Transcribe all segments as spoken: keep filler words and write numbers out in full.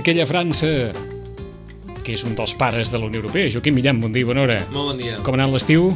aquella França que és un dels pares de la Unió Europea. Joaquim Millan, bon dia, bona hora. Molt bon dia. Com ha anat l'estiu?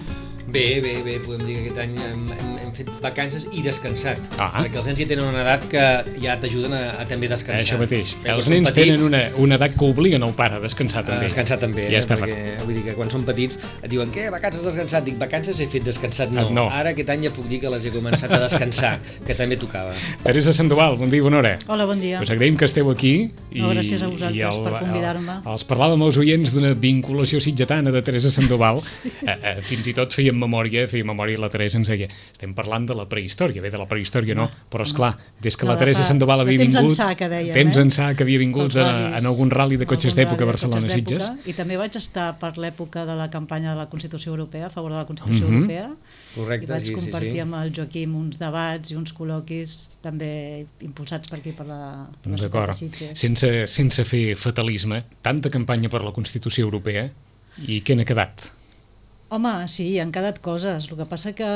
Bé, bé, bé, podem dir que aquest any hem, hem, hem fet vacances i descansat, ah. perquè els nens ja tenen una edat que ja t'ajuden a, a també descansar. Això mateix, perquè els nens petits, tenen una, una edat que obliguen el pare a descansar també. A descansar també, ja eh? està. Perquè vull dir que quan són petits et diuen què, vacances descansat? Dic, vacances he fet descansat, no. no. Ara aquest any ja puc dir que les he començat a descansar, que també tocava. Teresa Sandoval, bon dia, bona hora. Hola, bon dia. Us agraïm que esteu aquí. I, no, gràcies a vosaltres el, per convidar-me. Els parlàvem als oients d'una vinculació sitgetana de Teresa Sandoval. Sí. Eh, eh, fins i tot fèiem memòria, fèiem memòria i la Teresa ens deia, estem parlant de la prehistòria, bé, de la prehistòria no, no però esclar, des que no, la Teresa Sandoval havia vingut, temps ençà que deien, temps eh? ençà que havia vingut en, en algun rally de cotxes d'època a Barcelona-Sitges. I també vaig estar per l'època de la campanya de la Constitució Europea, a favor de la Constitució uh-huh. Europea. Correcte, i vaig sí, compartir sí, sí. amb el Joaquim uns debats i uns col·loquis també impulsats per aquí, per la, per la ciutat de Sitges. Sense, sense fer fatalisme, tanta campanya per la Constitució Europea, i què n'ha quedat? Home, sí, han quedat coses. El que passa que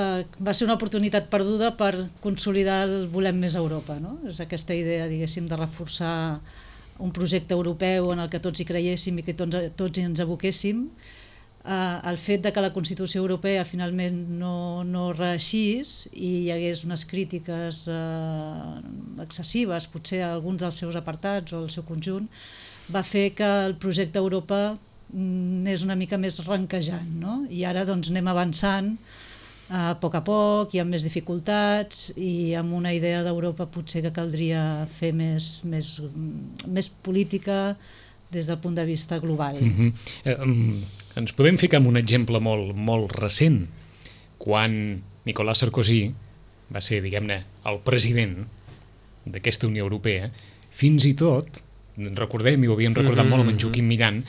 va ser una oportunitat perduda per consolidar el volem més Europa, no? És aquesta idea, diguéssim, de reforçar un projecte europeu en el que tots hi creiéssim i que tots, tots hi ens aboquéssim. Uh, el fet de que la Constitució Europea finalment no, no reeixís i hi hagués unes crítiques uh, excessives, potser a alguns dels seus apartats o el seu conjunt, va fer que el projecte Europa és una mica més ranquejant, no? I ara doncs anem avançant a poc a poc i amb més dificultats i amb una idea d'Europa potser que caldria fer més, més, més política des del punt de vista global. Mm-hmm. eh, um, ens podem ficar en un exemple molt, molt recent, quan Nicolas Sarkozy va ser, diguem-ne, el president d'aquesta Unió Europea, fins i tot, recordem, i ho havíem recordat mm-hmm. molt amb en Joaquim Millan,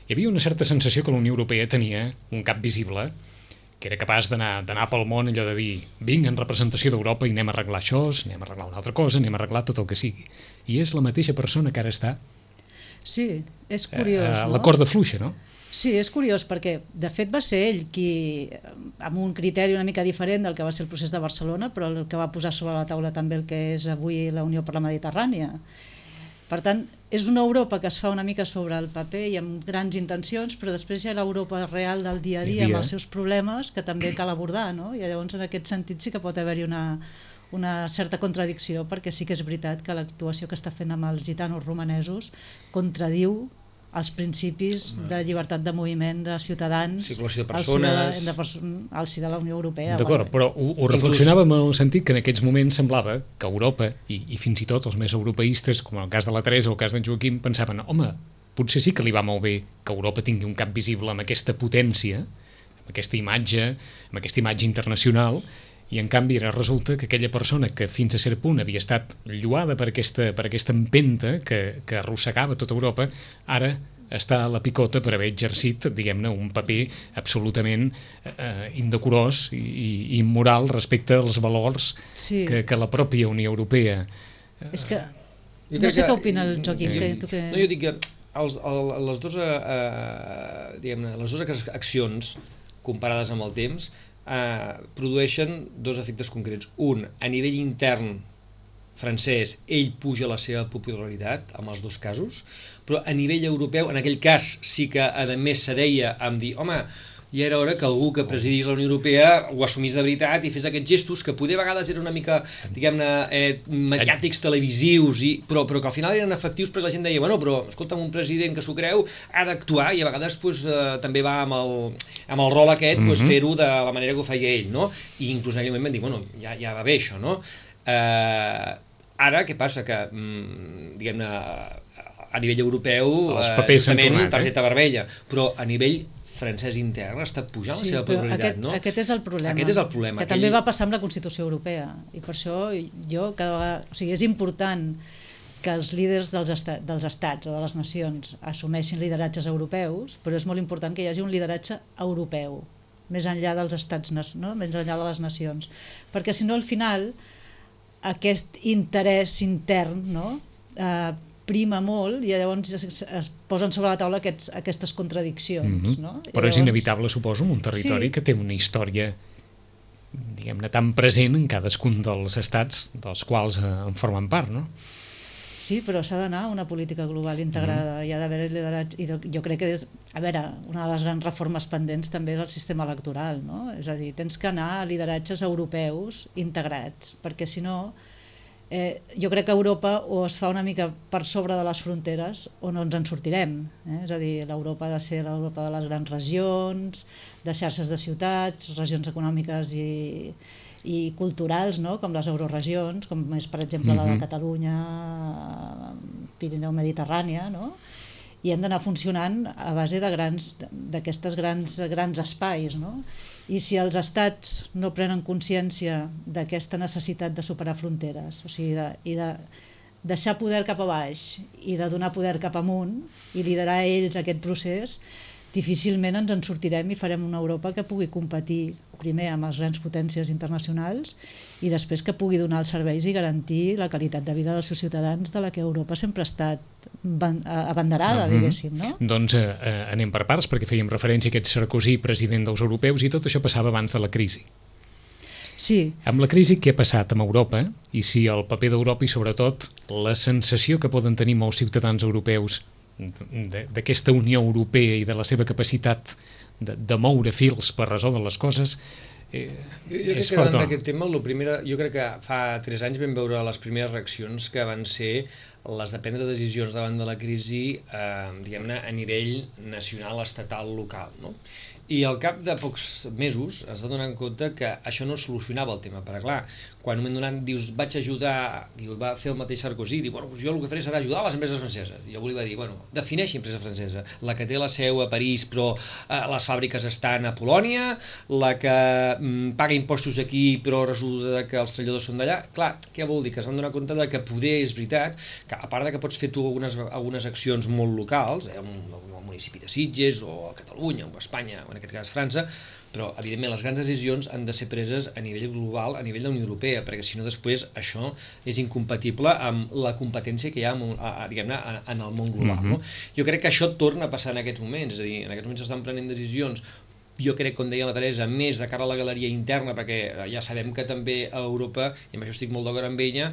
hi havia una certa sensació que la Unió Europea tenia un cap visible, que era capaç d'anar pel món, allò de dir, vinc en representació d'Europa i anem a arreglar això, anem a arreglar una altra cosa, anem a arreglar tot el que sigui. I és la mateixa persona que ara està sí, és curiós, a, a no? la corda fluixa, no? Sí, és curiós, perquè de fet va ser ell qui, amb un criteri una mica diferent del que va ser el procés de Barcelona, però el que va posar sobre la taula també el que és avui la Unió per la Mediterrània. Per tant, és una Europa que es fa una mica sobre el paper i amb grans intencions, però després hi ha l'Europa real del dia a dia, dia amb els seus problemes que també cal abordar, no? I llavors en aquest sentit sí que pot haver-hi una, una certa contradicció, perquè sí que és veritat que l'actuació que està fent amb els gitanos romanesos contradiu els principis de llibertat de moviment de ciutadans de persones. Al si de, al si de la Unió Europea. D'acord, però ho, ho reflexionàvem en el sentit que en aquests moments semblava que Europa, i, i fins i tot els més europeistes, com el cas de la Teresa o el cas d'en Joaquim, pensaven, home, potser sí que li va molt bé que Europa tingui un cap visible amb aquesta potència, amb aquesta imatge, amb aquesta imatge internacional, i en canvi ara resulta que aquella persona que fins a cert punt havia estat lloada per aquesta, per aquesta empenta que, que arrossegava tota Europa, ara està a la picota per haver exercit, diguem-ne, un paper absolutament eh, indecorós i, i immoral respecte als valors sí. que, que la pròpia Unió Europea... Eh... És que... No sé què opina el Joaquim. Eh, que, tu que... No, jo dic que els, el, les, dues, eh, diguem-ne, les dues accions comparades amb el temps Uh, produeixen dos efectes concrets. Un, a nivell intern francès, ell puja la seva popularitat amb els dos casos, però a nivell europeu, en aquell cas sí que a més se deia amb dir, home, ja era hora que algú que presidís la Unió Europea ho assumís de veritat i fes aquests gestos que poder a vegades eren una mica, diguem-ne, eh, mediàtics, televisius, i, però, però que al final eren efectius perquè la gent deia, bueno, però escolta'm, un president que s'ho creu ha d'actuar i a vegades pues, eh, també va amb el, amb el rol aquest pues, mm-hmm. fer-ho de la manera que ho feia ell, no? I inclús en aquell moment van dir, bueno, ja, ja va bé això, no? Eh, ara, què passa? Que, mm, diguem-ne, a nivell europeu, els papers s'han tornat, targeta eh? vermella, però a nivell francès intern està pujant sí, la seva popularitat, aquest, no? Aquest és el problema. Aquest és el problema. Que aquell... també va passar amb la Constitució Europea, i per això jo cada vegada... O sigui, és important que els líders dels, estat, dels estats o de les nacions assumeixin lideratges europeus, però és molt important que hi hagi un lideratge europeu, més enllà dels estats, no? Més enllà de les nacions. Perquè si no, al final, aquest interès intern, no? Eh, prima molt i llavors es, es posen sobre la taula aquests, aquestes contradiccions. Mm-hmm. No? Però llavors... és inevitable, suposo, en un territori sí. que té una història diguem-ne tan present en cadascun dels estats dels quals eh, en formen part, no? Sí, però s'ha d'anar a una política global integrada, mm. hi ha d'haver lideratge, i jo crec que, des, a veure, una de les grans reformes pendents també és el sistema electoral, no? És a dir, tens que anar a lideratges europeus integrats, perquè si no, eh, jo crec que Europa o es fa una mica per sobre de les fronteres o no ens en sortirem, eh? És a dir, l'Europa ha de ser l'Europa de les grans regions, de xarxes de ciutats, regions econòmiques i i culturals, no? Com les euroregions, com és per exemple la de Catalunya, Pirineu Mediterrània, no? I hem d'anar funcionant a base de grans d'aquestes grans, grans espais, no? I si els estats no prenen consciència d'aquesta necessitat de superar fronteres, o sigui, de, i de deixar poder cap a baix i de donar poder cap amunt i liderar ells aquest procés, difícilment ens en sortirem i farem una Europa que pugui competir primer amb les grans potències internacionals i després que pugui donar els serveis i garantir la qualitat de vida dels seus ciutadans de la que Europa sempre ha estat abanderada, mm-hmm. diguéssim, no? Doncs eh, anem per parts, perquè fèiem referència a aquest Sarkozy, president dels europeus, i tot això passava abans de la crisi. Sí. Amb la crisi, què ha passat amb Europa? I si el paper d'Europa i, sobretot, la sensació que poden tenir molts ciutadans europeus d'aquesta Unió Europea i de la seva capacitat de, de moure fils per resoldre les coses eh, jo, jo crec que davant d'aquest tema, lo primera, jo crec que fa tres anys vam veure les primeres reaccions que van ser les de prendre decisions davant de la crisi eh, diguem-ne a nivell nacional, estatal, local, no? I al cap de pocs mesos es va donar en compte que això no solucionava el tema, perquè clar, quan un moment donat dius vaig ajudar, i ho va fer el mateix Sarkozy, diu, bueno, jo el que faré serà ajudar a les empreses franceses. I jo li va dir, bueno, defineixi empresa francesa, la que té la seu a París però eh, les fàbriques estan a Polònia, la que mm, paga impostos aquí però resulta que els treballadors són d'allà. Clar, què vol dir? Que es van donar compte de que poder és veritat, que a part de que pots fer tu algunes, algunes accions molt locals, eh, un, un municipi de Sitges o a Catalunya o a Espanya o en aquest cas França, però evidentment les grans decisions han de ser preses a nivell global, a nivell de la Unió Europea, perquè si no després això és incompatible amb la competència que hi ha a, a, diguem-ne, en el món global. Mm-hmm. No? Jo crec que això torna a passar en aquests moments, és a dir, en aquests moments s'estan prenent decisions, jo crec, com deia la Teresa, més de cara a la galeria interna, perquè ja sabem que també a Europa, i amb això estic molt d'acord amb ella,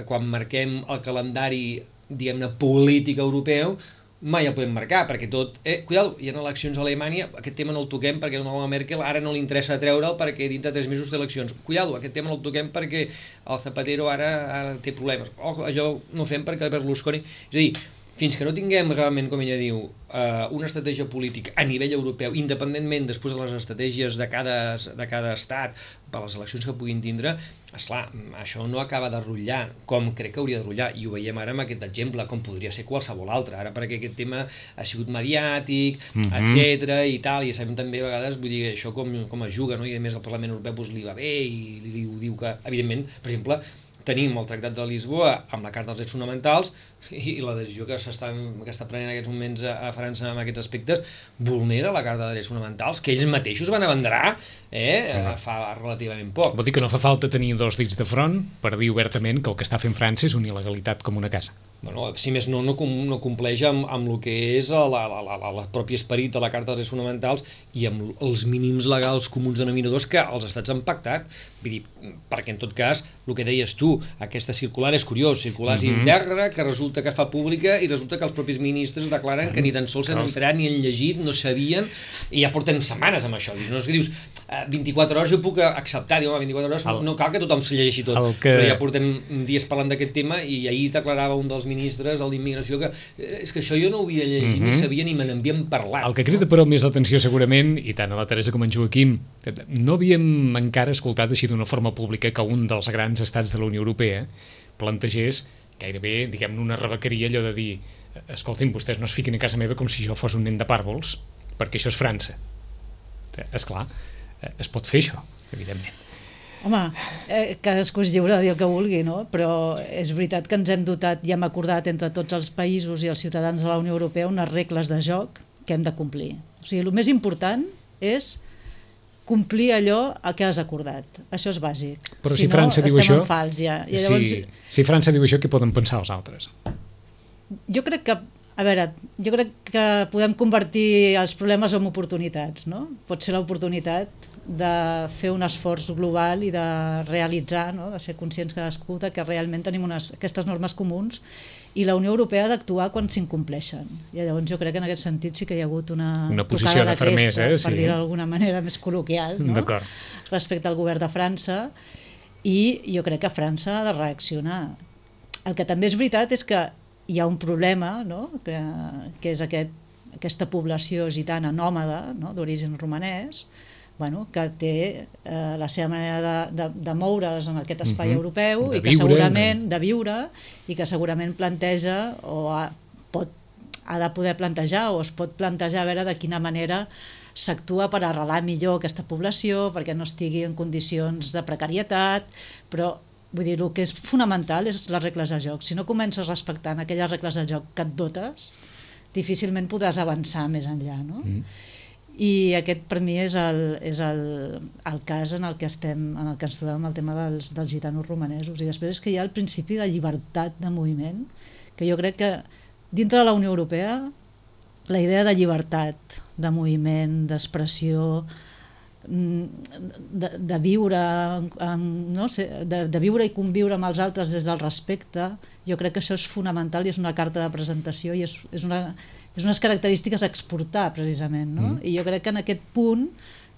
quan marquem el calendari, diguem-ne, polític europeu, mai el podem marcar, perquè tot... Eh, cuidado, hi ha eleccions a Alemanya, aquest tema no el toquem perquè a la Merkel ara no li interessa treure'l perquè dintre de tres mesos té eleccions. Cuidado, aquest tema no el toquem perquè el Zapatero ara, ara té problemes. Oh, allò no ho fem perquè el Berlusconi... És a dir, fins que no tinguem realment, com ella diu, eh, una estratègia política a nivell europeu, independentment després de les estratègies de cada, de cada estat, per les eleccions que puguin tindre, esclar, això no acaba de rotllar com crec que hauria de rotllar, i ho veiem ara amb aquest exemple, com podria ser qualsevol altre, ara perquè aquest tema ha sigut mediàtic, mm-hmm. etcètera i tal, i sabem també a vegades, vull dir, això com, com es juga, no? I a més el Parlament Europeu doncs, li va bé i li, li diu que, evidentment, per exemple, tenim el Tractat de Lisboa amb la Carta dels Drets Fonamentals i la decisió que s'està que està prenent en aquests moments a, a França en aquests aspectes vulnera la Carta de Drets Fonamentals que ells mateixos van abanderar eh, ah. fa relativament poc. Vol dir que no fa falta tenir dos dits de front per dir obertament que el que està fent França és una il·legalitat com una casa. Bueno, si més no, no, no compleix amb, amb el que és el propi esperit de la Carta dels Drets Fonamentals i amb els mínims legals comuns denominadors que els estats han pactat. Vull dir, perquè en tot cas, el que deies tu, aquesta circular és curiós, circular és mm-hmm. íntegra, que resulta que fa pública i resulta que els propis ministres declaren mm-hmm. que ni tan sols s'han entrat ni han llegit, no sabien, i ja porten setmanes amb això. No és que dius, vint-i-quatre hores jo puc acceptar, diu, home, vint-i-quatre hores el, no cal que tothom se llegeixi tot, que... però ja portem dies parlant d'aquest tema i ahir declarava un dels ministres, el d'Immigració, que és que això jo no ho havia llegit, mm-hmm. ni sabia ni me n'havien parlat. El que crida però més l'atenció segurament, i tant a la Teresa com en Joaquim, no havíem encara escoltat així d'una forma pública que un dels grans estats de la Unió Europea plantegés gairebé, diguem-ne, una rebequeria allò de dir, escoltin, vostès no es fiquin a casa meva com si jo fos un nen de pàrvols, perquè això és França. Esclar, es pot fer això, evidentment. Home, eh, cadascú és lliure de dir el que vulgui, no? Però és veritat que ens hem dotat i hem acordat entre tots els països i els ciutadans de la Unió Europea unes regles de joc que hem de complir. O sigui, el més important és complir allò a què has acordat. Això és bàsic. Però si, si França no, diu això, fals, ja. I llavors, si, si França diu això, què poden pensar els altres? Jo crec que, a veure, jo crec que podem convertir els problemes en oportunitats, no? Pot ser l'oportunitat de fer un esforç global i de realitzar, no? De ser conscients cadascú de que realment tenim unes, aquestes normes comuns i la Unió Europea ha d'actuar quan s'incompleixen. I llavors jo crec que en aquest sentit sí que hi ha hagut una, una posició de, de fermesa, cresta, eh? per dir-ho d'alguna manera més col·loquial, no? Respecte al govern de França, i jo crec que França ha de reaccionar. El que també és veritat és que hi ha un problema, no? que, que és aquest, aquesta població gitana nòmada, no? d'origen romanès, bueno, que té eh, la seva manera de, de, de moure's en aquest espai uh-huh. europeu de i que viure, segurament de viure i que segurament planteja o ha, pot, ha de poder plantejar o es pot plantejar a veure de quina manera s'actua per arrelar millor aquesta població perquè no estigui en condicions de precarietat, però vull dir, el que és fonamental és les regles de joc. Si no comences respectant aquelles regles de joc que et dotes, difícilment podràs avançar més enllà, no? Mm. I aquest per mi és el, és el, el cas en el que estem, en el que ens trobem el tema dels, dels gitanos romanesos. I després és que hi ha el principi de llibertat de moviment, que jo crec que dintre de la Unió Europea la idea de llibertat de moviment, d'expressió, de, de viure no sé, de, de viure i conviure amb els altres des del respecte, jo crec que això és fonamental i és una carta de presentació i és, és, una, és unes característiques a exportar precisament, no? Mm. I jo crec que en aquest punt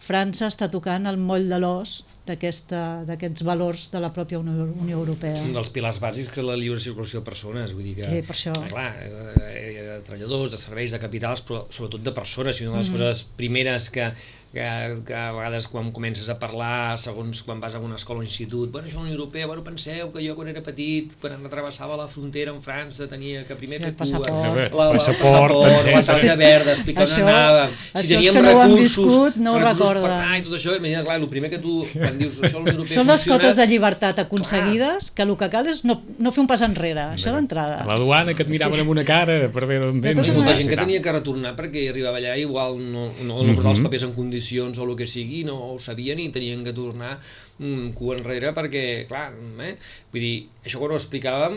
França està tocant el moll de l'os d'aquests valors de la pròpia Unió, Unió Europea. Un dels pilars bàsics que és la lliure circulació de persones, vull dir que, sí, per això. Clar, de treballadors, de serveis, de capitals, però sobretot de persones, i una de les mm. coses primeres que, que, que a vegades quan comences a parlar, segons quan vas a una escola o institut, bueno, això és la Unió Europea, bueno, penseu que jo quan era petit, quan travessava la frontera en França, tenia que primer sí, fer passaport. cua, la, la, la, passaport, la targeta verda, explicar on anàvem, si teníem no recursos, viscut, no recursos per anar i tot això, imagina, clar, el primer que tu, quan dius això la Unió Europea són les cotes de llibertat aconseguides, que el que cal és no, no fer un pas enrere, això d'entrada. A la duana que et miraven sí. amb una cara per veure on vens. Molta gent que tenia que retornar perquè arribava allà igual no, no, no portava els papers en condicions o el que sigui, no ho sabien i tenien que tornar un cua enrere perquè, clar, eh? Vull dir, això quan ho explicàvem,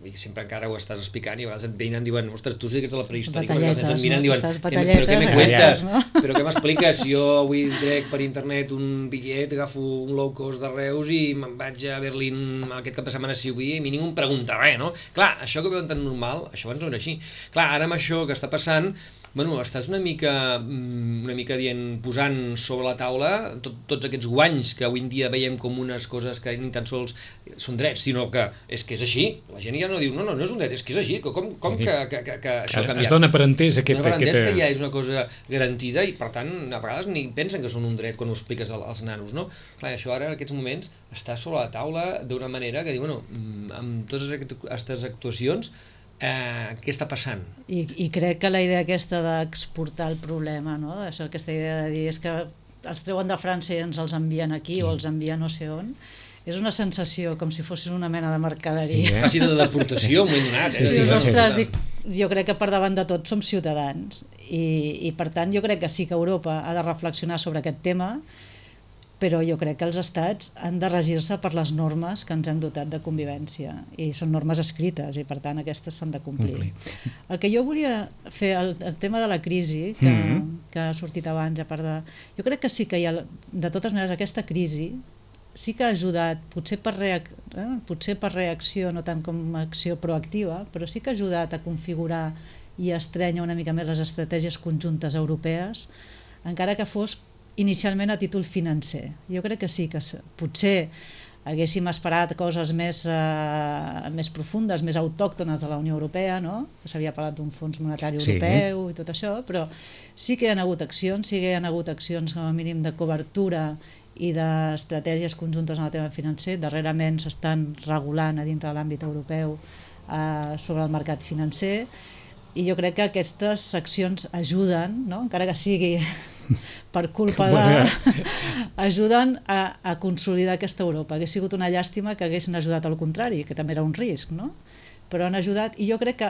i sempre encara ho estàs explicant i a vegades et venen i diuen, ostres, tu sí que ets a la prehistòrica, perquè els nens et miren i diuen, però què me cuestes? No? Però què m'expliques? Jo avui trec per internet un bitllet, agafo un low cost de Reus i me'n vaig a Berlín aquest cap de setmana si vull i a mi ningú em pregunta res, no? Clar, això que veuen tan normal, això abans no era així. Clar, ara amb això que està passant, bueno, estàs una mica, una mica dient, posant sobre la taula tot, tots aquests guanys que avui en dia veiem com unes coses que ni tan sols són drets, sinó que és que és així. La gent ja no diu, no, no, no és un dret, és que és així. Com, com que, que, que, que això ha canviat? Es dona per entès aquest... Es dona per entès que ja és una cosa garantida i, per tant, a vegades ni pensen que són un dret quan ho expliques als nanos, no? Clar, això ara, en aquests moments, està sobre la taula d'una manera que diu, bueno, amb totes aquestes actuacions, Eh, què està passant? I, i crec que la idea aquesta d'exportar el problema, no? Aquesta idea de dir és que els treuen de França i ens els envien aquí sí. o els envien no sé on, és una sensació com si fossin una mena de mercaderia. Yeah. Quasi de deportació, m'ho he donat. Eh? Sí, sí, ostres, dic, jo crec que per davant de tot som ciutadans i, i per tant jo crec que sí que Europa ha de reflexionar sobre aquest tema, però jo crec que els estats han de regir-se per les normes que ens hem dotat de convivència i són normes escrites i per tant aquestes s'han de complir. El que jo volia fer, el, el tema de la crisi que, mm-hmm. que ha sortit abans, a part de... Jo crec que sí que hi ha, de totes maneres, aquesta crisi sí que ha ajudat, potser per, reac... eh? potser per reacció, no tant com acció proactiva, però sí que ha ajudat a configurar i a estrènyer una mica més les estratègies conjuntes europees, encara que fos inicialment a títol financer. Jo crec que sí, que potser haguéssim esperat coses més, eh, més profundes, més autòctones de la Unió Europea, no? S'havia parlat d'un fons monetari europeu sí. i tot això, però sí que hi ha hagut accions, sí que hi ha hagut accions com a mínim de cobertura i d'estratègies conjuntes en el tema financer. Darrerament s'estan regulant a dintre de l'àmbit europeu eh, sobre el mercat financer i jo crec que aquestes accions ajuden, no? Encara que sigui per culpa de... ajuden a, a consolidar aquesta Europa. Hauria sigut una llàstima que haguessin ajudat al contrari, que també era un risc, no? Però han ajudat i jo crec que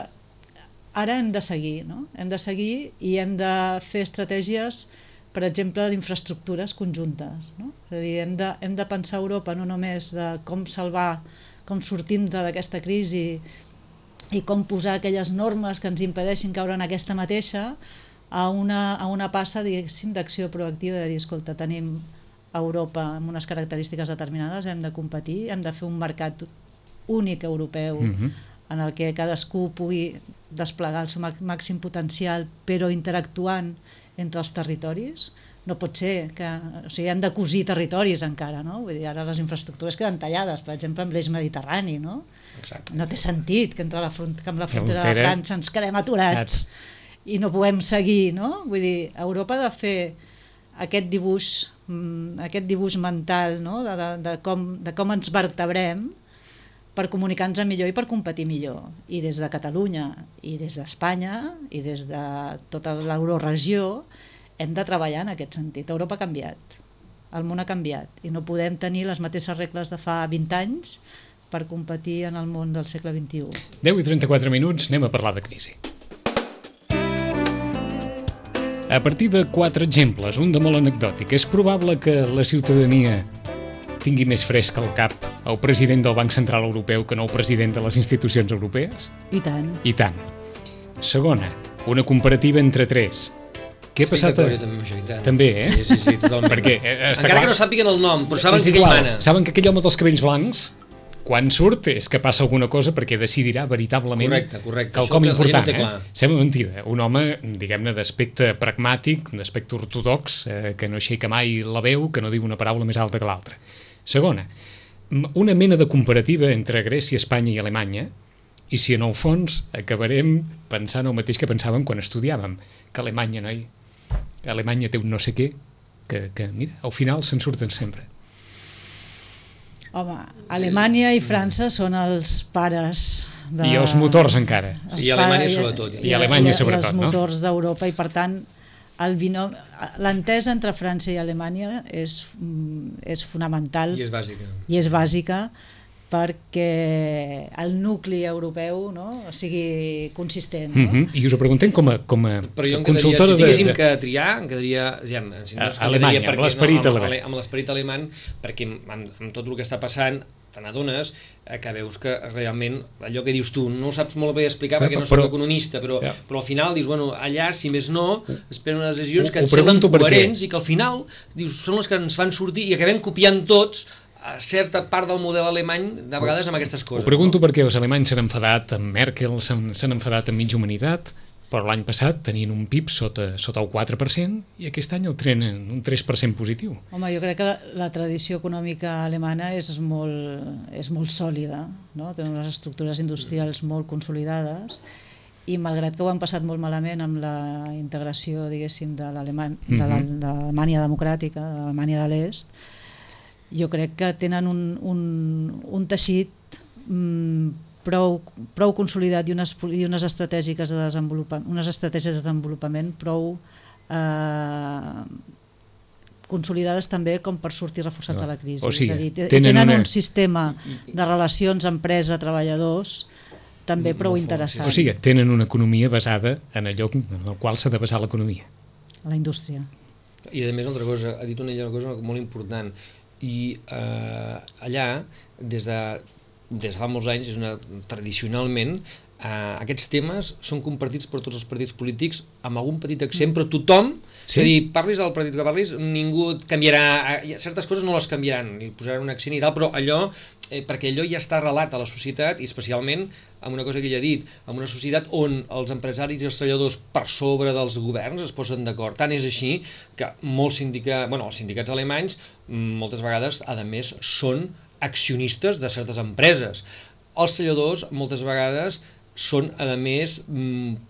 ara hem de seguir, no? Hem de seguir i hem de fer estratègies, per exemple, d'infraestructures conjuntes, no? És a dir, hem de, hem de pensar a Europa no només de com salvar, com sortir-nos d'aquesta crisi i com posar aquelles normes que ens impedeixin caure en aquesta mateixa, a una, a una passa, diguéssim, d'acció proactiva de dir, escolta, tenim Europa amb unes característiques determinades, hem de competir, hem de fer un mercat únic europeu mm-hmm. en el que cadascú pugui desplegar el seu màxim potencial, però interactuant entre els territoris. No pot ser que... O sigui, hem de cosir territoris encara, no? Vull dir, ara les infraestructures queden tallades, per exemple, amb l'eix mediterrani, no? Exacte. No té sentit que, entre la front, que amb la frontera Frontera. de França ens quedem aturats i no podem seguir, no? Vull dir, Europa ha de fer aquest dibuix, aquest dibuix mental, no? de, de, de, com, de com ens vertebrem per comunicar-nos millor i per competir millor. I des de Catalunya, i des d'Espanya, i des de tota l'euroregió, hem de treballar en aquest sentit. Europa ha canviat, el món ha canviat, i no podem tenir les mateixes regles de fa vint anys per competir en el món del segle vint-i-u. deu i trenta-quatre minuts, anem a parlar de crisi. A partir de quatre exemples, un de molt anecdòtic, és probable que la ciutadania tingui més fresc al cap el president del Banc Central Europeu que no el president de les institucions europees? I tant. I tant. Segona, una comparativa entre tres. Què ha passat? A... També, també, eh? Sí, sí, sí, totalment. Perquè, eh, està encara clar... que no sàpiguen el nom, però saben És que aquell igual. mana. Saben que aquell home dels cabells blancs, quan surt, és que passa alguna cosa perquè decidirà veritablement Correcte, correcte. quelcom Això important. té Eh? clar. Sembla mentida. Un home, diguem-ne, d'aspecte pragmàtic, d'aspecte ortodox, eh, que no aixeca mai la veu, que no diu una paraula més alta que l'altra. Segona, una mena de comparativa entre Grècia, Espanya i Alemanya, i si en el fons acabarem pensant el mateix que pensàvem quan estudiàvem, que Alemanya, noi, Alemanya té un no sé què, que, que mira, al final se'n surten sempre. Home, Alemanya i França són els pares de... I els motors encara. els I Alemanya pares- sobretot. I Alemanya sobretot, i els no? motors d'Europa, i per tant el binom... l'entesa entre França i Alemanya és, mm, és fonamental I és bàsica. i és bàsica perquè el nucli europeu, no, sigui consistent. No? Uh -huh. I us ho preguntem com a, com a Però jo em quedaria, consultora si tinguéssim de... que triar, em quedaria, ja, si no, és que em Alemanya, quedaria amb l'esperit no, amb, alemany. amb l'esperit alemany, perquè amb, amb tot el que està passant te n'adones que veus que realment allò que dius tu no ho saps molt bé explicar perquè no soc Però- economista, però, Ja. però al final dius, bueno, allà, si més no, esperen unes decisions Ho- que ho ens semblen pregunto perquè- coherents i que al final dius, són les que ens fan sortir i acabem copiant tots a certa part del model alemany, de vegades amb aquestes coses. Ho pregunto no? perquè els alemanys s'han enfadat amb Merkel, s'han s'han enfadat amb mitja humanitat, però l'any passat tenien un P I B sota, sota el quatre per cent i aquest any el trenen un tres per cent positiu. Home, jo crec que la, la tradició econòmica alemana és molt, és molt sòlida, no? Té unes estructures industrials molt consolidades i malgrat que ho han passat molt malament amb la integració, diguéssim, de l'Aleman- de la- de l'Alemanya democràtica, de l'Alemanya de l'Est, jo crec que tenen un, un, un teixit mm, prou, prou consolidat i unes, i unes estratègiques de desenvolupament, unes estratègies de desenvolupament prou eh, consolidades també com per sortir reforçats No. de la crisi. O sigui, és a dir, te- tenen tenen una- un sistema de relacions empresa-treballadors també prou Molt fort, interessant, O sigui, tenen una economia basada en allò en el qual s'ha de basar l'economia. la indústria. I a més, una altra cosa, ha dit una, una cosa molt important, i eh, allà, des de, des de fa molts anys, és una, tradicionalment, eh, aquests temes són compartits per tots els partits polítics amb algun petit accent, però tothom, Sí? és a dir, parlis del partit que parlis, ningú et canviarà, eh, certes coses no les canviaran, li posaran un accent i tal, però allò, eh, perquè allò ja està arrelat a la societat, i especialment amb una cosa que ella ha dit, amb una societat on els empresaris i els treballadors per sobre dels governs es posen d'acord. Tant és així que molts sindicats, bueno, els sindicats alemanys moltes vegades, a més, són accionistes de certes empreses. Els treballadors moltes vegades són, a més,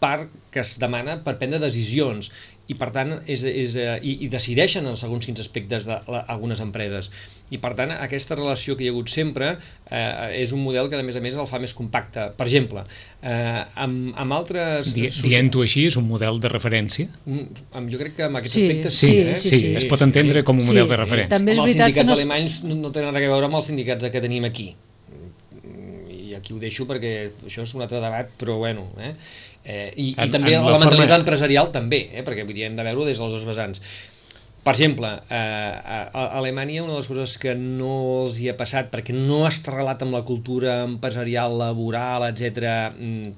part que es demana per prendre decisions i per tant és, és, i, i decideixen en segons quins aspectes d'algunes empreses. I per tant aquesta relació que hi ha hagut sempre eh, és un model que a més a més el fa més compacte. Per exemple, eh, amb, amb altres... Di, Dient-ho així, és un model de referència? Amb, jo crec que amb aquests Sí, aspectes sí, sí, eh? sí, sí, es pot entendre com un model Sí, de referència. també és Home, els veritat que sindicats no es- alemanys no, no tenen res a veure amb els sindicats que tenim aquí. I aquí ho deixo perquè això és un altre debat, però bueno... Eh? Eh, i, en, i també en la, la mentalitat forma... empresarial també, eh? Perquè vull dir, hem de veure-ho des dels dos vessants. Per exemple, eh, a, a Alemanya una de les coses que no els hi ha passat, perquè no està arrelat amb la cultura empresarial, laboral, etcètera,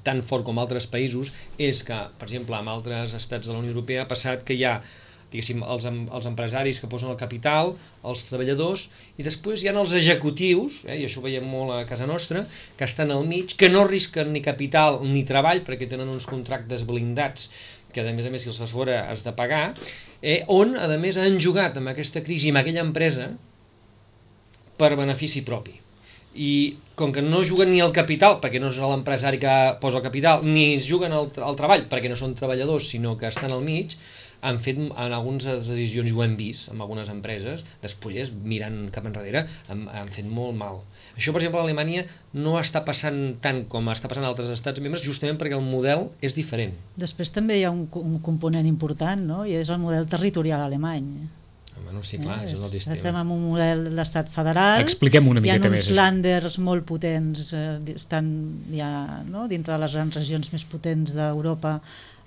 tan fort com altres països, és que, per exemple, en altres estats de la Unió Europea ha passat que hi ha diguéssim, els, els empresaris que posen el capital, els treballadors, i després hi ha els executius, eh, i això ho veiem molt a casa nostra, que estan al mig, que no risquen ni capital ni treball, perquè tenen uns contractes blindats, que a més a més si els fas fora has de pagar, eh, on a més han jugat amb aquesta crisi, amb aquella empresa, per benefici propi. I com que no juguen ni el capital, perquè no és l'empresari que posa el capital, ni juguen el, el treball, perquè no són treballadors, sinó que estan al mig, han fet en algunes decisions, i ho hem vist en algunes empreses, després mirant cap enrere, han, han fet molt mal. Això, per exemple, a Alemanya no està passant tant com està passant a altres estats membres, justament perquè el model és diferent. Després també hi ha un, un component important, no? I és el model territorial alemany. Bueno, sí, clar, eh, és un altre sistema. Estem en un model d'estat federal. Expliquem una miqueta més. Hi ha uns landers molt potents, eh, estan ja, no? dintre de les grans regions més potents d'Europa,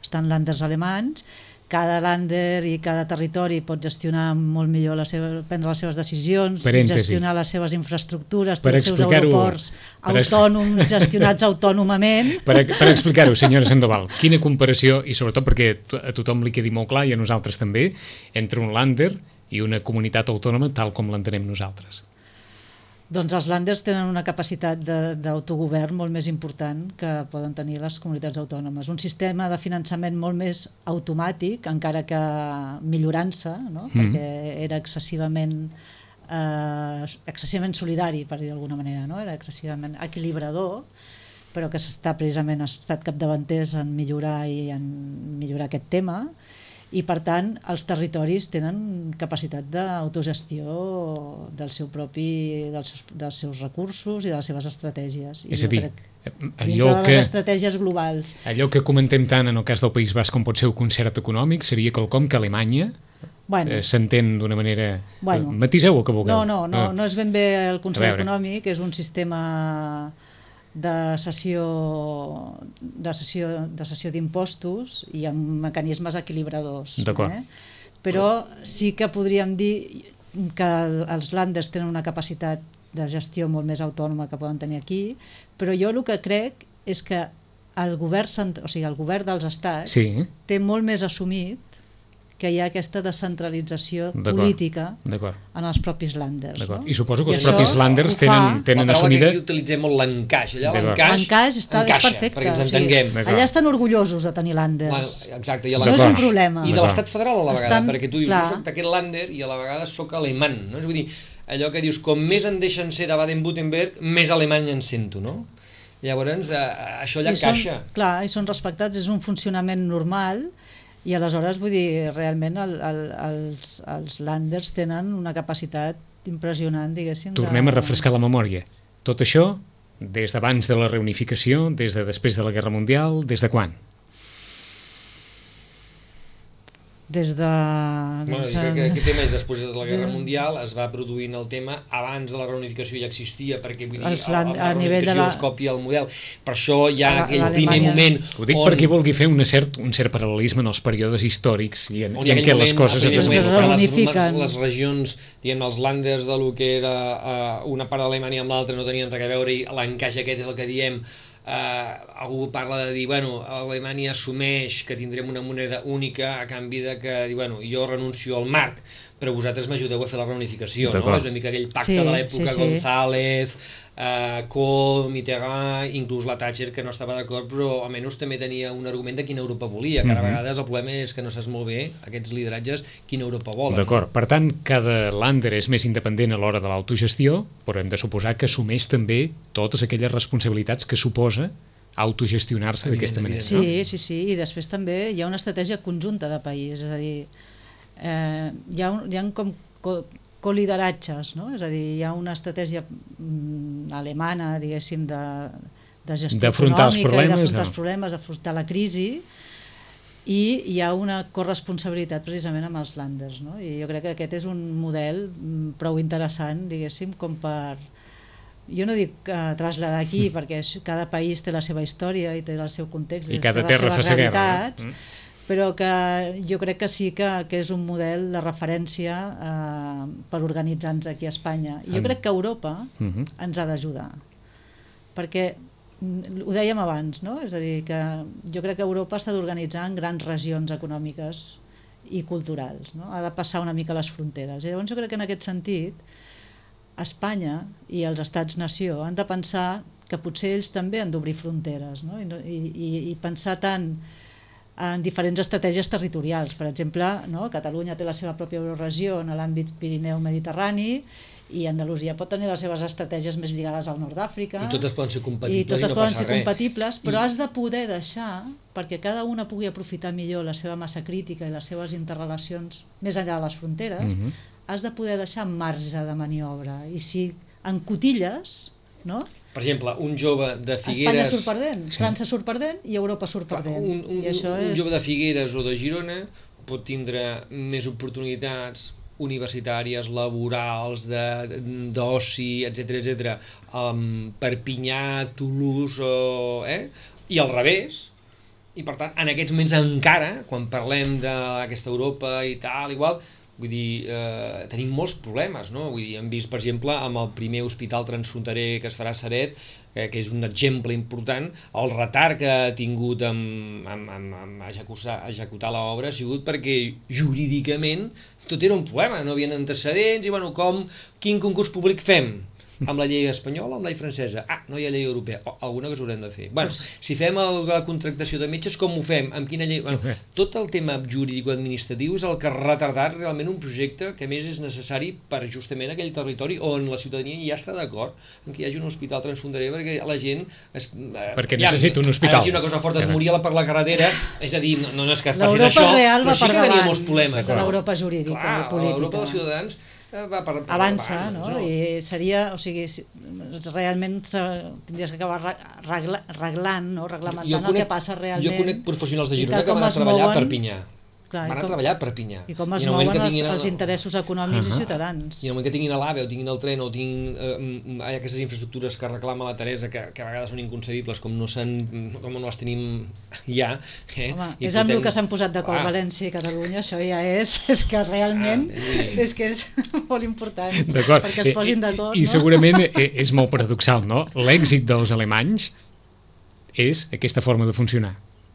estan landers alemanys. Cada lander i cada territori pot gestionar molt millor, la seva, prendre les seves decisions, Parèntesi. gestionar les seves infraestructures, Per els seus aeroports per autònoms, gestionats autònomament. Per, per explicar-ho, senyora Sandoval, quina comparació, i sobretot perquè a tothom li quedi molt clar, i a nosaltres també, entre un lander i una comunitat autònoma tal com l'entenem nosaltres. Doncs els landers tenen una capacitat d'autogovern molt més important que poden tenir les comunitats autònomes. Un sistema de finançament molt més automàtic, encara que millorant-se, no? mm. perquè era excessivament, eh, excessivament solidari, per dir d'alguna manera, no? Era excessivament equilibrador, però que s'està precisament ha estat capdavanters en millorar i en millorar aquest tema. I per tant els territoris tenen capacitat d'autogestió del seu propi, dels seus, dels seus recursos i de les seves estratègies. I és a dir, allò de les que, estratègies globals. Allò que comentem tant en el cas del País Basc com pot ser un concert econòmic seria quelcom que Alemanya bueno, eh, s'entén d'una manera... Bueno, matiseu el que vulgueu. No, no, no, no és ben bé el concert econòmic, és un sistema de cessió de cessió de cessió d'impostos i amb mecanismes equilibradors. Eh? Però sí que podríem dir que els landers tenen una capacitat de gestió molt més autònoma que poden tenir aquí, però jo el que crec és que el govern, o sigui, el govern dels estats sí. té molt més assumit que hi ha aquesta descentralització política en els propis landers. No? I suposo que I els propis landers tenen, tenen assumida... Aquí utilitzem molt l'encaix. Allà l'encaix està perfecte. Perquè ens entenguem. O sigui, allà estan orgullosos de tenir landers. Exacte. I no és un problema. I de l'estat federal a la vegada, estan, perquè tu dius, clar. jo soc d'aquest lander i a la vegada soc alemany. No? És vull dir, allò que dius, com més en deixen ser de Baden-Württemberg, més alemany en sento, no? Llavors, eh, això allà encaixa. Són, clar, i són respectats, és un funcionament normal. I aleshores, vull dir, realment el, el, els, els landers tenen una capacitat impressionant, diguéssim. Tornem de... a refrescar la memòria. Tot això, des d'abans de la reunificació, des de després de la Guerra Mundial, des de quan? Des de... Bueno, jo crec que aquest tema és després de la Guerra Mundial, es va produint el tema, abans de la reunificació ja existia, perquè vull dir, a, a la reunificació la... es copia el model, per això hi ha la, aquell primer moment... Ho dic on... perquè vulgui fer un cert, un cert paral·lelisme en els períodes històrics i en, i en què les coses es desenvolupen. Les, les regions, diguem, els landers de lo que era uh, una part d'Alemanya amb l'altra no tenien res a veure i l'encaix aquest és el que diem. Uh, algú parla de dir, bueno, Alemanya assumeix que tindrem una moneda única a canvi de que, bueno, jo renuncio al marc, però vosaltres m'ajudeu a fer la reunificació, no? És una mica aquell pacte sí, de l'època sí, sí. González, uh, Kohl, Mitterrand, inclús la Thatcher, que no estava d'acord, però almenys també tenia un argument de quina Europa volia, que mm-hmm. a vegades el problema és que no saps molt bé, aquests lideratges, quina Europa volen. D'acord, per tant, cada lander és més independent a l'hora de l'autogestió, però hem de suposar que assumeix també totes aquelles responsabilitats que suposa autogestionar-se d'aquesta manera. Sí, no? sí, sí, i després també hi ha una estratègia conjunta de país, és a dir, eh, hi, ha un, hi ha com co colideratges, no? És a dir, hi ha una estratègia mm, alemana, diguéssim, de, de gestió econòmica, els problemes, d'afrontar no? els problemes, d'afrontar la crisi, i hi ha una corresponsabilitat precisament amb els landers, no? I jo crec que aquest és un model mm, prou interessant, diguéssim, com per... Jo no dic uh, traslladar aquí, perquè cada país té la seva història i té el seu context, i cada terra fa sa guerra, no? Però que jo crec que sí que, que és un model de referència eh, per organitzar-nos aquí a Espanya. I jo crec que Europa uh-huh. ens ha d'ajudar, perquè ho dèiem abans, no? És a dir, que jo crec que Europa s'ha d'organitzar en grans regions econòmiques i culturals, no? Ha de passar una mica les fronteres. I llavors jo crec que en aquest sentit Espanya i els estats-nació han de pensar que potser ells també han d'obrir fronteres, no? I, i, i pensar tant en diferents estratègies territorials. Per exemple, no? Catalunya té la seva pròpia euroregió en l'àmbit Pirineu-Mediterrani i Andalusia pot tenir les seves estratègies més lligades al nord d'Àfrica. I totes poden ser compatibles i totes i no poden passa ser res. compatibles, però I... has de poder deixar perquè cada una pugui aprofitar millor la seva massa crítica i les seves interrelacions més enllà de les fronteres, mm-hmm. has de poder deixar marge de maniobra. I si en cotilles, no? Per exemple, un jove de Figueres... Espanya surt perdent, sí. França surt perdent i Europa surt perdent. Un, un, I això un és... jove de Figueres o de Girona pot tindre més oportunitats universitàries, laborals, d'oci, etcètera, etcètera, um, Perpinyà, Toulouse, o, eh? I al revés. I per tant, en aquests moments encara, quan parlem d'aquesta Europa i tal, igual, vull dir, eh, tenim molts problemes, no? Vull dir, hem vist, per exemple, amb el primer hospital transfronterer que es farà a Ceret, eh, que és un exemple important, el retard que ha tingut amb, amb, amb, amb executar, executar l'obra ha sigut perquè jurídicament tot era un problema, no havien antecedents i, bueno, com, quin concurs públic fem? Amb la llei espanyola o amb la llei francesa? Ah, no hi ha llei europea. O alguna cosa haurem de fer. Bueno, si fem el, la contractació de metges, com ho fem? Amb quina llei? Bueno, tot el tema jurídico-administratiu és el que ha retardat realment un projecte que, a més, és necessari per justament aquell territori on la ciutadania ja està d'acord en que hi hagi un hospital transfronterer perquè la gent... Es, perquè ja, necessita un hospital. Ara, si una cosa forta es moria per la carretera, és a dir, no, no és que facis L'Europa això, real va però sí per que tenia davant molts problemes. de l'Europa jurídica Clar, i política. L'Europa dels ciutadans va per, per avança, davant, no? no? I seria, o sigui, realment tindries que acabar regla, reglant, no? Reglamentant conec, el que passa realment. Jo conec professionals de Girona que van a treballar a Perpinyà. Clar, van a com, treballar a Perpinyà. I com es mouen els, els interessos econòmics uh -huh. i ciutadans. I en el moment que tinguin l'AVE o tinguin el tren o tinguin eh, aquestes infraestructures que reclama la Teresa, que, que a vegades són inconcebibles, com no, com no les tenim ja... Eh? Home, és amb el que s'han posat d'acord ah. València i Catalunya, això ja és, és que realment ah, és que és molt important perquè es posin d'acord. I, i no? segurament és molt paradoxal, no? L'èxit dels alemanys és aquesta forma de funcionar.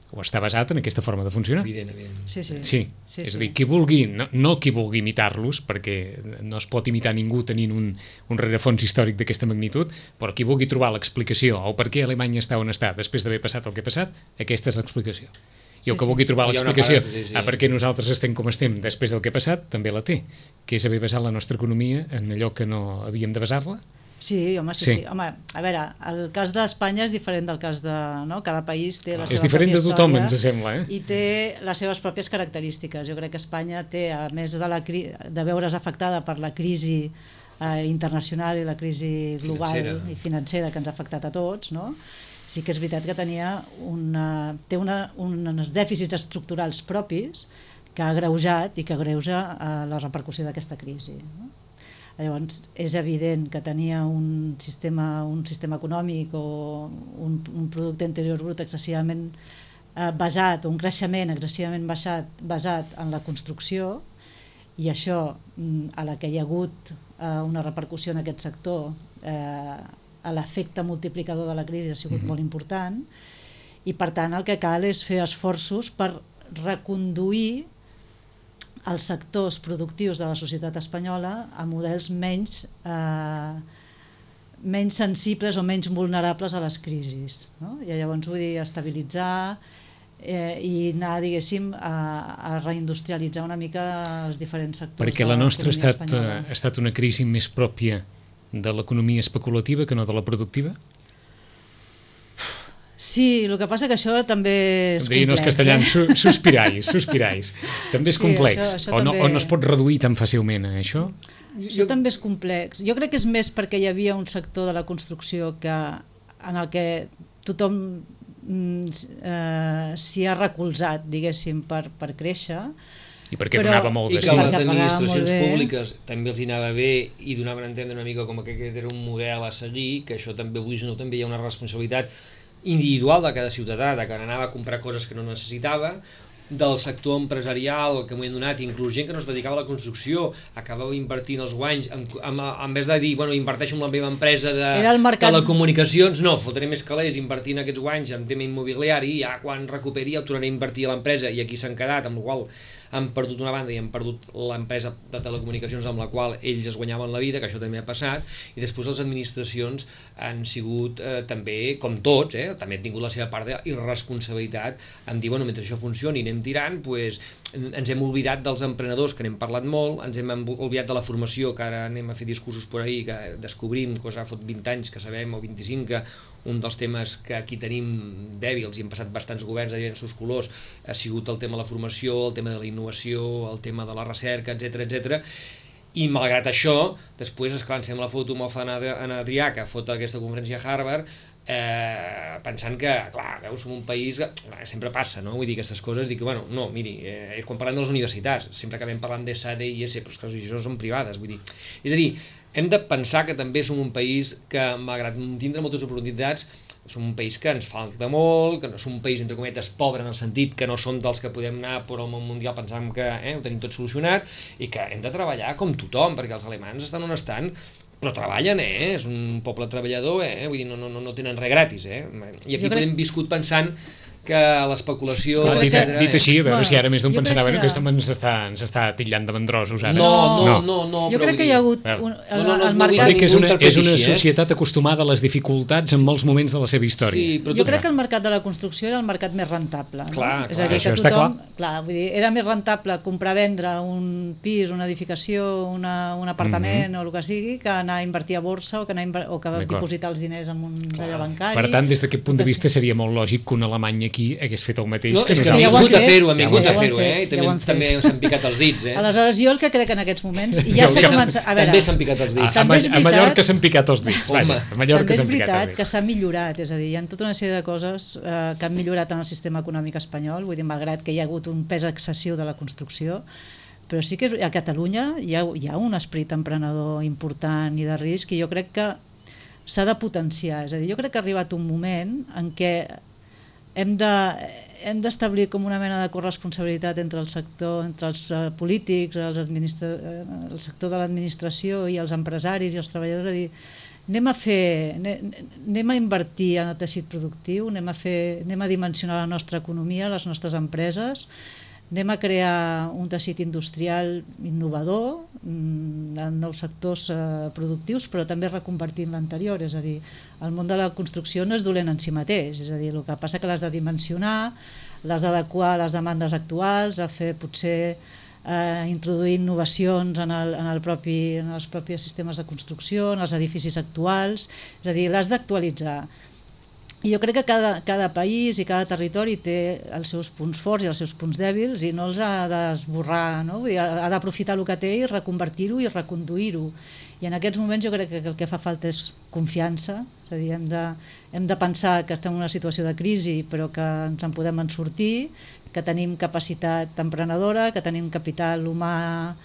O està basat en aquesta forma de funcionar. Evident, evident. Sí, sí. sí. sí és sí. a dir, qui vulgui, no, no qui vulgui imitar-los, perquè no es pot imitar ningú tenint un, un rerefons històric d'aquesta magnitud, però qui vulgui trobar l'explicació o per què Alemanya està on està després d'haver passat el que ha passat, aquesta és l'explicació. I sí, el que sí. vulgui trobar l'explicació sí, sí. a per què nosaltres estem com estem després del que ha passat, també la té, que és haver basat la nostra economia en allò que no havíem de basar-la. Sí, home, sí, sí, sí. Home, a veure, el cas d'Espanya és diferent del cas de... No? Cada país té la és seva diferent pròpia de tothom, història ens sembla, eh? I té les seves pròpies característiques. Jo crec que Espanya té, a més de, la cri... de veure's afectada per la crisi eh, internacional i la crisi global financera. i financera que ens ha afectat a tots, no? Sí que és veritat que tenia una... té una... uns dèficits estructurals propis que ha agreujat i que agreuja eh, la repercussió d'aquesta crisi, no? Llavors, és evident que tenia un sistema, un sistema econòmic o un, un producte interior brut excessivament eh, basat, un creixement excessivament basat, basat en la construcció, i això, a la que hi ha hagut eh, una repercussió en aquest sector, eh, l'efecte multiplicador de la crisi ha sigut mm-hmm. molt important, i per tant el que cal és fer esforços per reconduir els sectors productius de la societat espanyola a models menys, eh, menys sensibles o menys vulnerables a les crisis, no? I llavors vull dir estabilitzar eh, i anar, diguéssim, a, a reindustrialitzar una mica els diferents sectors. Perquè la nostra ha estat, ha estat una crisi més pròpia de l'economia especulativa que no de la productiva? Sí, el que passa que això també és complex. Diguin els castellans, eh? sospirais, sospirais. També és sí, complex, això, això o, no, també... o no es pot reduir tan fàcilment a això? Això jo... també és complex. Jo crec que és més perquè hi havia un sector de la construcció que, en el que tothom eh, s'hi ha recolzat, diguéssim, per, per créixer, i perquè però, donava molt de sí. I que les administracions públiques també els hi anava bé i donaven a entendre una mica com que aquest era un model a seguir, que això també avui no també hi ha una responsabilitat individual de cada ciutadà, de que anava a comprar coses que no necessitava, del sector empresarial que m'ho han donat, inclús gent que no es dedicava a la construcció, acabava invertint els guanys, en, en, en vez de dir, bueno, inverteixo en la meva empresa de mercat... telecomunicacions, no, fotré més calés invertint aquests guanys en tema immobiliari i ja quan recuperi el tornaré a invertir a l'empresa, i aquí s'han quedat, amb la qual han perdut una banda i han perdut l'empresa de telecomunicacions amb la qual ells es guanyaven la vida, que això també ha passat, i després les administracions han sigut eh, també, com tots, eh, també han tingut la seva part d'irresponsabilitat en dir, bueno, mentre això funcioni anem tirant, pues, ens hem oblidat dels emprenedors, que n'hem parlat molt, ens hem oblidat de la formació, que ara anem a fer discursos per ahí, que descobrim, cosa fot vint anys que sabem, o vint-i-cinc, que un dels temes que aquí tenim dèbils i hem passat bastants governs de diversos colors ha sigut el tema de la formació, el tema de la innovació, el tema de la recerca, etcètera, etcètera. I malgrat això, després, esclar, ens fem la foto amb el Fan Adrià, que fot aquesta conferència a Harvard, eh, pensant que, clar, veus, som un país que clar, sempre passa, no? Vull dir, aquestes coses, dic, bueno, no, miri, eh, quan parlem de les universitats, sempre acabem parlant d'E S A, d'E I S, però és que les universitats són privades, vull dir, és a dir, hem de pensar que també som un país que, malgrat tindre moltes oportunitats, som un país que ens falta molt, que no som un país, entre cometes, pobre en el sentit que no som dels que podem anar per al món mundial pensant que eh, ho tenim tot solucionat, i que hem de treballar com tothom, perquè els alemans estan on estan, però treballen, eh? És un poble treballador, eh? Vull dir, no, no, no tenen res gratis, eh? I aquí podem viscut pensant que l'especulació... Dit, dit així, a veure bueno, si ara més d'un pensarà que... que... aquest home ens està, ens està titllant de vendrosos ara. No, no, no, no, jo crec que hi ha hagut un, el, no, no, no, el mercat... Que és una, és una societat acostumada a les dificultats en molts moments de la seva història. Sí, però jo crec que el mercat de la construcció era el mercat més rentable. No? Clar, és a dir, clar, que tothom... Clar, vull dir, era més rentable comprar-vendre un pis, una edificació, una, un apartament mm -hmm. o el que sigui, que anar a invertir a borsa o que, anar a, o que dipositar els diners en un relleu bancari. Per tant, des d'aquest punt de vista seria molt lògic que un alemany aquí hagués fet el mateix. No, és que hem vingut a fer-ho, hem vingut a fer-ho, eh? I també, també s'han picat els dits, eh? Aleshores, jo el que crec en aquests moments... I ja s'ha començat... A veure, també s'han picat els dits. A, a, a Mallorca s'han picat els dits, vaja. A Mallorca també és s'han picat els veritat dits. que s'ha millorat, és a dir, hi ha tota una sèrie de coses eh, que han millorat en el sistema econòmic espanyol, vull dir, malgrat que hi ha hagut un pes excessiu de la construcció, però sí que a Catalunya hi ha, hi ha un esperit emprenedor important i de risc i jo crec que s'ha de potenciar, és a dir, jo crec que ha arribat un moment en què hem de hem d'establir com una mena de corresponsabilitat entre el sector, entre els uh, polítics, els administra... el sector de l'administració i els empresaris i els treballadors, és a dir, anem a fer, anem a invertir en el teixit productiu, anem a fer, anem a dimensionar la nostra economia, les nostres empreses, anem a crear un teixit industrial innovador en nous sectors eh, productius, però també reconvertint l'anterior, és a dir, el món de la construcció no és dolent en si mateix, és a dir, el que passa que l'has de dimensionar, l'has d'adequar a les demandes actuals, a fer potser eh, introduir innovacions en, el, en, el propi, en els propis sistemes de construcció, en els edificis actuals, és a dir, l'has d'actualitzar. I jo crec que cada, cada país i cada territori té els seus punts forts i els seus punts dèbils i no els ha d'esborrar, no? Vull dir, ha d'aprofitar el que té i reconvertir-ho i reconduir-ho. I en aquests moments jo crec que el que fa falta és confiança, és a dir, hem de, hem de pensar que estem en una situació de crisi però que ens en podem en sortir, que tenim capacitat emprenedora, que tenim capital humà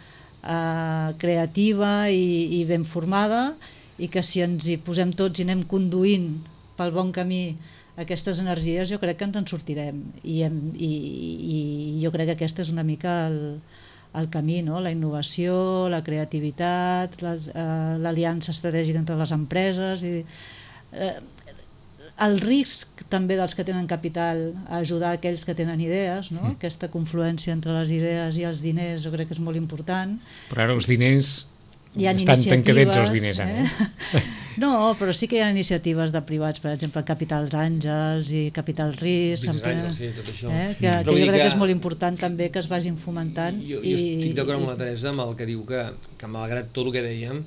eh, creativa i, i ben formada i que si ens hi posem tots i anem conduint pel bon camí aquestes energies jo crec que ens en sortirem i, hem, i, i jo crec que aquesta és una mica el, el camí, no? La innovació, la creativitat, l'aliança la, eh, estratègica entre les empreses i, eh, el risc també dels que tenen capital a ajudar aquells que tenen idees, no? Mm. Aquesta confluència entre les idees i els diners jo crec que és molt important. Però ara els diners hi ha estan tancadets els diners ara, eh? No, però sí que hi ha iniciatives de privats, per exemple, Capitals Àngels i Capital Risc, Àngels, sí, tot això. Eh? que, que jo crec que és molt important també que es vagin fomentant. Jo, jo i, estic d'acord amb la Teresa amb el que diu que, que malgrat tot el que dèiem,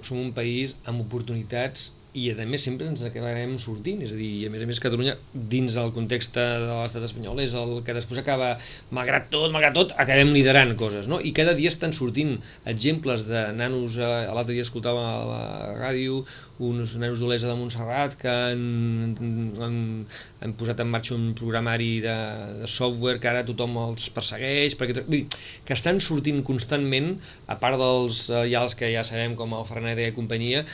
som un país amb oportunitats i a més sempre ens acabarem sortint, és a dir, a més a més Catalunya dins el context de l'estat espanyol és el que després acaba, malgrat tot, malgrat tot, acabem liderant coses, no? I cada dia estan sortint exemples de nanos, eh, l'altre dia escoltava a la ràdio uns nanos d'Olesa de Montserrat que han, han, han posat en marxa un programari de, de software que ara tothom els persegueix, perquè, vull dir, que estan sortint constantment, a part dels eh, ja els que ja sabem com el Fernández i companyia,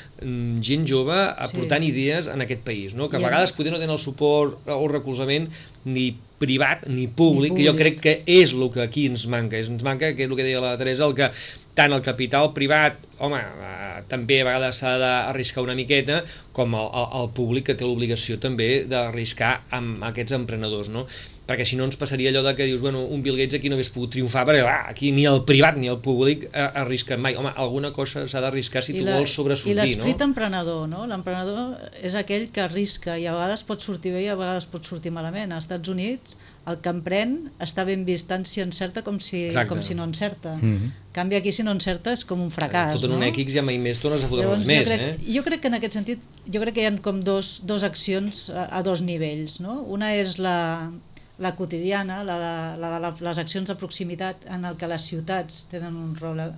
gent jove aportant sí. idees en aquest país, no? Que a vegades poder no tenen el suport o el recolzament ni privat ni públic, ni públic, que jo crec que és el que aquí ens manca, ens manca, que és el que deia la Teresa, el que tant el capital privat, home, eh, també a vegades s'ha d'arriscar una miqueta, com el, el, el públic que té l'obligació també d'arriscar amb aquests emprenedors, no? perquè si no ens passaria allò de que dius, bueno, un Bill Gates aquí no hagués pogut triomfar, perquè clar, aquí ni el privat ni el públic arrisquen mai. Home, alguna cosa s'ha d'arriscar si I tu la, vols sobresortir, no? I l'esperit emprenedor, no? L'emprenedor és aquell que arrisca i a vegades pot sortir bé i a vegades pot sortir malament. Als Estats Units el que emprèn està ben vist tant si encerta com si, com si no encerta. Mm-hmm. En canvi aquí si no encerta és com un fracàs, foten no? un X i ja mai més tornes a fotre uns més, crec, eh? Jo crec que en aquest sentit, jo crec que hi ha com dos, dos accions a, a dos nivells, no? Una és la, la quotidiana, la de, la de la, les accions de proximitat en el que les ciutats tenen un rol eh,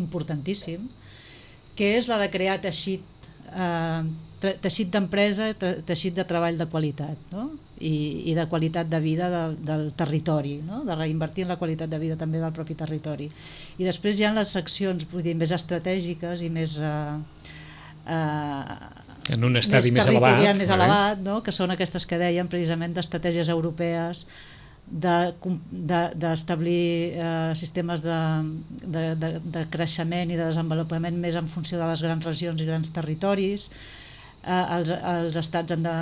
importantíssim, que és la de crear teixit, eh, teixit d'empresa, teixit de treball de qualitat, no? I, i de qualitat de vida del, del territori, no? De reinvertir en la qualitat de vida també del propi territori. I després hi ha les accions, vull dir, més estratègiques i més... Eh, eh, en un estadi més, més elevat, més elevat, no? Que són aquestes que dèiem precisament d'estratègies europees, d'establir de, de eh, sistemes de, de, de, de creixement i de desenvolupament més en funció de les grans regions i grans territoris. Eh, els, els estats han de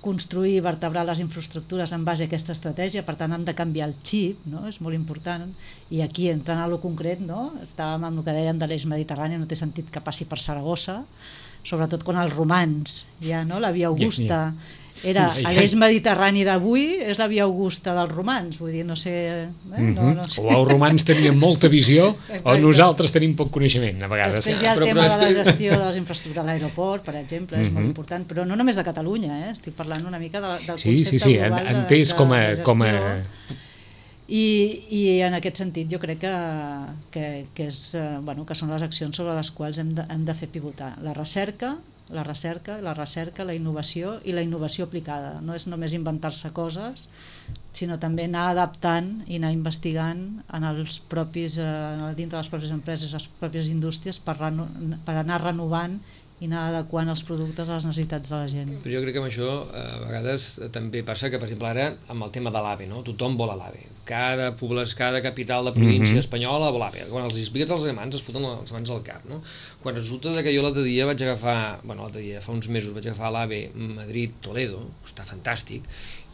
construir i vertebrar les infraestructures en base a aquesta estratègia, per tant han de canviar el xip, no? És molt important, i aquí entrant a lo concret, no? Estàvem amb el que dèiem de l'eix mediterrani, no té sentit que passi per Saragossa, sobretot quan els romans, ja, no? La Via Augusta era a l'eix mediterrani d'avui, és la Via Augusta dels romans, vull dir, no sé... Eh? No, no sé. O els romans tenien molta visió, o nosaltres tenim poc coneixement, a vegades. Després hi ha el però, tema però de la gestió de les infraestructures de l'aeroport, per exemple, és mm-hmm. molt important, però no només de Catalunya, eh? Estic parlant una mica de, del sí, concepte sí, sí, global de, entès de, com a, de gestió. Com a... I, I en aquest sentit jo crec que, que, que, és, bueno, que són les accions sobre les quals hem de, hem de fer pivotar. La recerca, la recerca, la recerca, la innovació i la innovació aplicada. No és només inventar-se coses, sinó també anar adaptant i anar investigant en els propis, eh, dintre de les pròpies empreses, les pròpies indústries, per, reno, per anar renovant i anar adequant els productes a les necessitats de la gent. Però jo crec que amb això a vegades també passa que, per exemple, ara amb el tema de l'AVE, no? Tothom vol l'AVE. Cada població, cada capital de província mm-hmm. espanyola vol l'AVE. Quan els expliques als alemans es foten les mans al cap, no? Quan resulta que jo l'altre dia vaig agafar, bueno, l'altre dia, fa uns mesos vaig agafar l'AVE Madrid-Toledo, està fantàstic,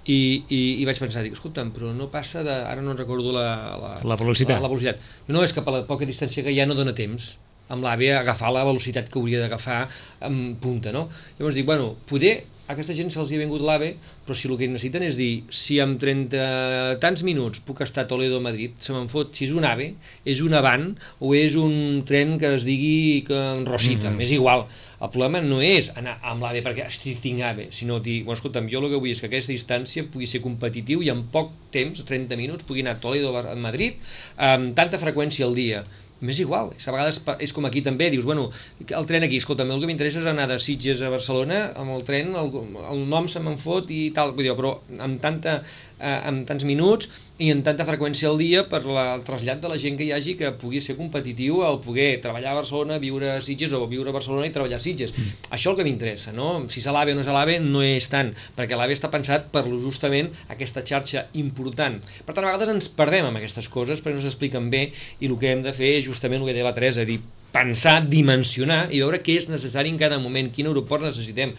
i, i, i vaig pensar, dic, escolta'm, però no passa de... Ara no recordo la, la, la velocitat. La, la velocitat. No, és que per la poca distància que hi ha no dona temps amb l'AVE agafar la velocitat que hauria d'agafar en punta, no? Llavors dic, bueno, poder a aquesta gent se'ls hi ha vingut l'AVE, però si el que necessiten és dir, si en trenta tants minuts puc estar a Toledo o Madrid, se me'n fot, si és un AVE, és un avant o és un tren que es digui que en Rosita, mm-hmm. és igual. El problema no és anar amb l'AVE perquè tinc AVE, sinó dir, bueno, escolta'm, jo el que vull és que aquesta distància pugui ser competitiu i en poc temps, trenta minuts, pugui anar a Toledo o a Madrid amb tanta freqüència al dia. M'és igual, a vegades és com aquí també, dius, bueno, el tren aquí, escolta'm, el que m'interessa és anar de Sitges a Barcelona, amb el tren, el, el nom se me'n fot i tal, vull dir, però amb, tanta, eh, amb tants minuts i amb tanta freqüència al dia per la, el trasllat de la gent que hi hagi que pugui ser competitiu al poder treballar a Barcelona, viure a Sitges o viure a Barcelona i treballar a Sitges. Mm. Això és el que m'interessa, no? Si és a l'AVE o no és a l'AVE no és tant, perquè l'AVE està pensat per justament aquesta xarxa important. Per tant, a vegades ens perdem amb aquestes coses perquè no s'expliquen bé i el que hem de fer és justament el que deia la Teresa, dir, pensar, dimensionar i veure què és necessari en cada moment, quin aeroport necessitem.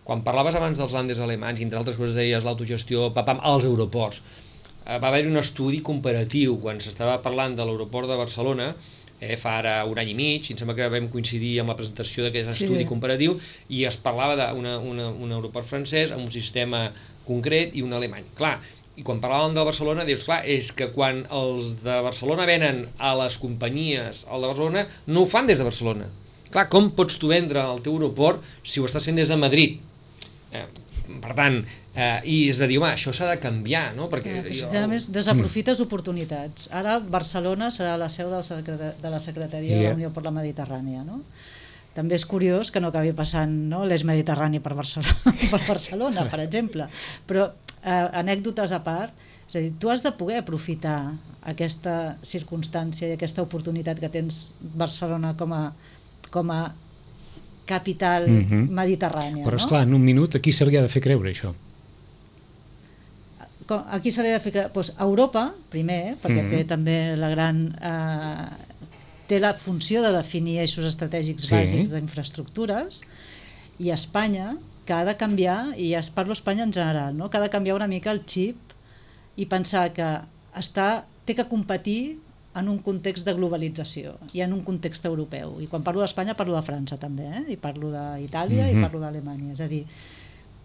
Quan parlaves abans dels lànders alemanys, i entre altres coses deies l'autogestió, papam, als aeroports, va haver-hi un estudi comparatiu quan s'estava parlant de l'aeroport de Barcelona, eh, fa ara un any i mig, i em sembla que vam coincidir amb la presentació d'aquest sí. estudi comparatiu, i es parlava d'un aeroport francès amb un sistema concret i un alemany. Clar, i quan parlàvem de Barcelona, dius, clar, és que quan els de Barcelona venen a les companyies al de Barcelona, no ho fan des de Barcelona. Clar, com pots tu vendre el teu aeroport si ho estàs fent des de Madrid? Eh, per tant, eh, i és de dir, home, això s'ha de canviar, no? Perquè eh, jo... A més, desaprofites oportunitats. Ara Barcelona serà la seu del secret... de la Secretaria yeah. de la Unió per la Mediterrània, no? També és curiós que no acabi passant, no, l'eix mediterrani per Barcelona, per Barcelona, per exemple. Però eh, anècdotes a part, és a dir, tu has de poder aprofitar aquesta circumstància i aquesta oportunitat que tens Barcelona com a, com a capital mm-hmm. mediterrània. Però esclar, no? en un minut aquí se li ha de fer creure això. Aquí se li ha de fer creure, doncs Europa, primer, perquè mm-hmm. té també la gran... Eh, té la funció de definir eixos estratègics sí. bàsics d'infraestructures, i Espanya, que ha de canviar, i ja es parlo Espanya en general, no? Que ha de canviar una mica el xip i pensar que està, té que competir en un context de globalització i en un context europeu. I quan parlo d'Espanya parlo de França també, eh? I parlo d'Itàlia mm-hmm. i parlo d'Alemanya. És a dir,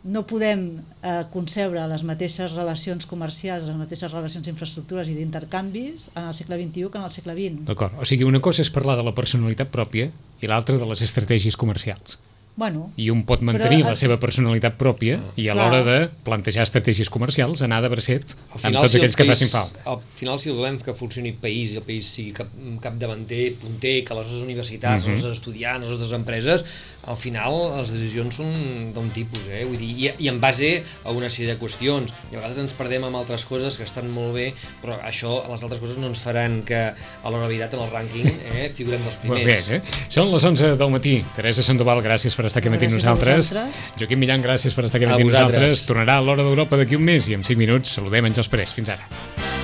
no podem eh, concebre les mateixes relacions comercials, les mateixes relacions d'infraestructures i d'intercanvis en el segle vint-i-u que en el segle vint. D'acord, o sigui, una cosa és parlar de la personalitat pròpia i l'altra de les estratègies comercials. Bueno, I un pot mantenir però, la seva personalitat pròpia i a l'hora de plantejar estratègies comercials anar de bracet amb tots si aquells país, que facin falta. Al final, si volem que funcioni el país i el país sigui cap, capdavanter, punter, que les nostres universitats, mm-hmm. els nostres estudiants, les nostres empreses, al final les decisions són d'un tipus, eh? Vull dir, i, i en base a una sèrie de qüestions. I a vegades ens perdem amb altres coses que estan molt bé, però això, les altres coses no ens faran que a l'hora veritat en el rànquing eh, figurem dels primers. Bé, eh? Són les onze del matí. Teresa Sandoval, gràcies per estar aquí matí amb nosaltres. Joaquim Millan, gràcies per estar aquí matí amb nosaltres. Tornarà a l'Hora d'Europa d'aquí un mes i en cinc minuts saludem en Jos Parés. Fins ara.